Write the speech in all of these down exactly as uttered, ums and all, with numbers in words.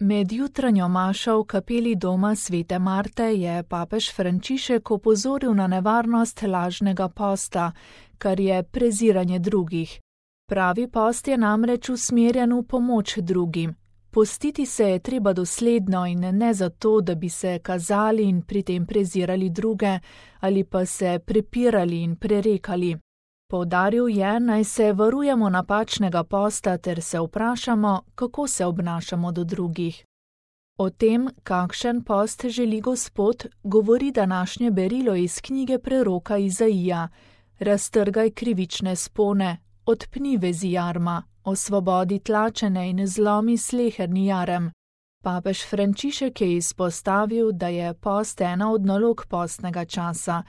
Med jutranjo mašo v kapeli doma svete Marte je papež Frančišek opozoril na nevarnost lažnega posta, kar je preziranje drugih. Pravi post je namreč usmerjen v pomoč drugim. Postiti se je treba dosledno in ne zato, da bi se kazali in pri tem prezirali druge ali pa se prepirali in prerekali. Poudaril je, naj se varujemo napačnega posta ter se vprašamo, kako se obnašamo do drugih. O tem, kakšen post želi Gospod, govori današnje berilo iz knjige preroka Izaija. Raztrgaj krivične spone, odpni vezi jarma, osvobodi tlačene in zlomi sleherni jarem. Papež Frančišek je izpostavil, da je post ena od nalog postnega časa.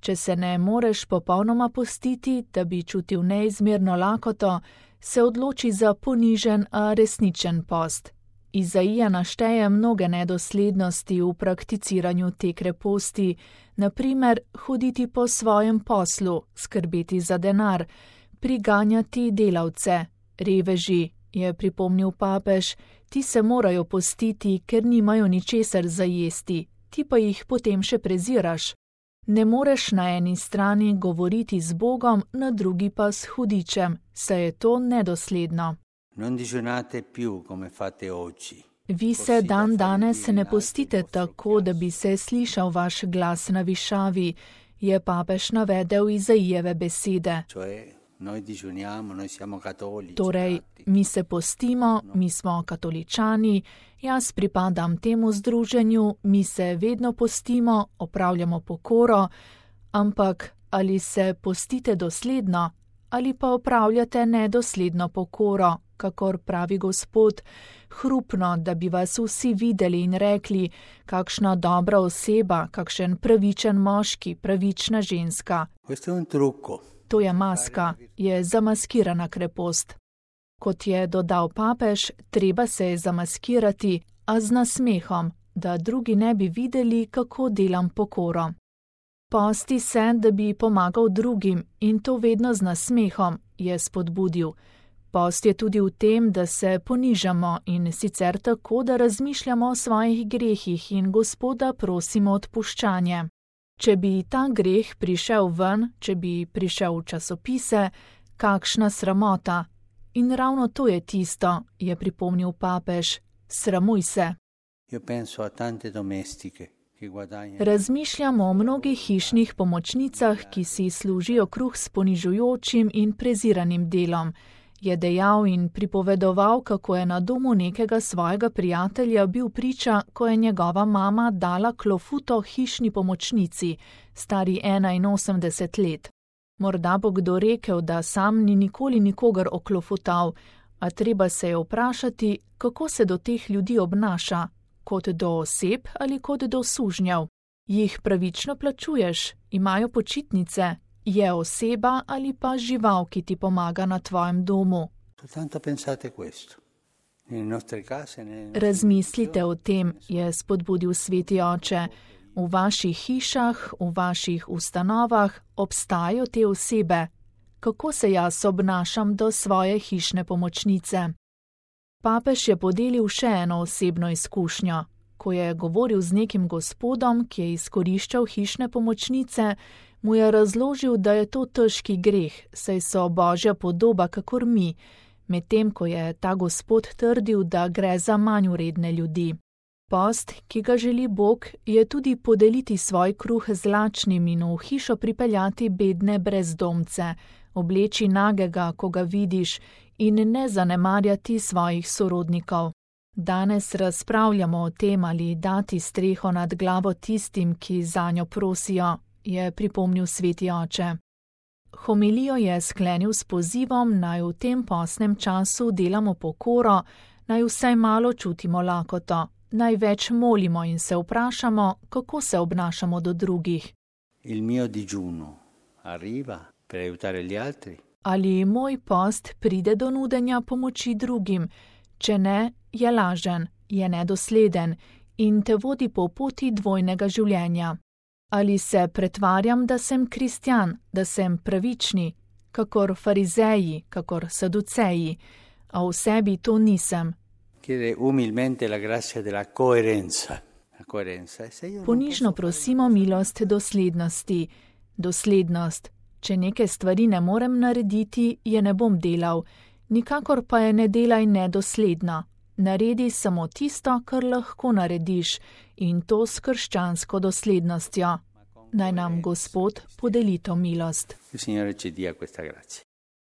Če se ne moreš popolnoma postiti, da bi čutil neizmerno lakoto, se odloči za ponižen, a resničen post. Izaija našteje mnoge nedoslednosti v prakticiranju te kreposti, na primer hoditi po svojem poslu, skrbeti za denar, priganjati delavce, reveži, je pripomnil papež, ti se morajo postiti, ker nimajo ničesar za jesti, ti pa jih potem še preziraš. Ne moreš na eni strani govoriti z Bogom, na drugi pa s hudičem, saj je to nedosledno. Vi se dan danes ne postite tako, da bi se slišal vaš glas na višavi, je papež navedel Izaijeve besede. Torej, mi se postimo, mi smo katoličani, jaz pripadam temu združenju, mi se vedno postimo, opravljamo pokoro, ampak ali se postite dosledno, ali pa opravljate nedosledno pokoro, kakor pravi Gospod, hrupno, da bi vas vsi videli in rekli, kakšna dobra oseba, kakšen pravičen moški, pravična ženska. To je maska, je zamaskirana krepost. Kot je dodal papež, treba se je zamaskirati, a z nasmehom, da drugi ne bi videli, kako delam pokoro. Posti se, da bi pomagal drugim, in to vedno z nasmehom, je spodbudil. Post je tudi v tem, da se ponižamo in sicer tako, da razmišljamo o svojih grehih in Gospoda prosimo odpuščanje. Če bi ta greh prišel ven, če bi prišel v časopise, kakšna sramota. In ravno to je tisto, je pripomnil papež, sramuj se. Razmišljamo o mnogih hišnih pomočnicah, ki si služijo kruh s ponižujočim in preziranim delom. Je dejal in pripovedoval, kako je na domu nekega svojega prijatelja bil priča, ko je njegova mama dala klofuto hišni pomočnici, stari enainosemdeset let. Morda bo kdo rekel, da sam ni nikoli nikogar oklofutal, a treba se je vprašati, kako se do teh ljudi obnaša, kot do oseb ali kot do sužnjev. Jih pravično plačuješ, imajo počitnice, je oseba ali pa žival, ki ti pomaga na tvojem domu. Razmislite o tem, je spodbudil sveti oče. V vaših hišah, v vaših ustanovah obstajajo te osebe. Kako se jaz obnašam do svoje hišne pomočnice? Papež je podelil še eno osebno izkušnjo. Ko je govoril z nekim gospodom, ki je izkoriščal hišne pomočnice, mu je razložil, da je to težki greh, saj so Božja podoba kakor mi, medtem ko je ta gospod trdil, da gre za manj vredne ljudi. Post, ki ga želi Bog, je tudi podeliti svoj kruh z lačnim in v hišo pripeljati bedne brezdomce, obleči nagega, ko ga vidiš, in ne zanemarjati svojih sorodnikov. Danes razpravljamo o tem, ali dati streho nad glavo tistim, ki zanjo prosijo, je pripomnil sveti oče. Homilijo je sklenil s pozivom, naj v tem postnem času delamo pokoro, naj vsaj malo čutimo lakoto, naj več molimo in se vprašamo, kako se obnašamo do drugih. Il mio digiuno arriva per aiutare gli altri? Ali moj post pride do nudenja pomoči drugim, če ne, je lažen, je nedosleden in te vodi po poti dvojnega življenja. Ali se pretvarjam, da sem kristjan, da sem pravični, kakor farizeji, kakor saduceji, a v sebi to nisem. Chiedere umilmente la grazia della coerenza. La coerenza. Se io non Ponižno posso prosimo milost doslednosti. Doslednost. Če neke stvari ne morem narediti, je ne bom delal. Nikakor pa je ne delaj nedosledna. Naredi samo tisto, kar lahko narediš, in to s krščansko doslednostjo. Naj nam Gospod podeli to milost. Il Signore ci dia questa grazia.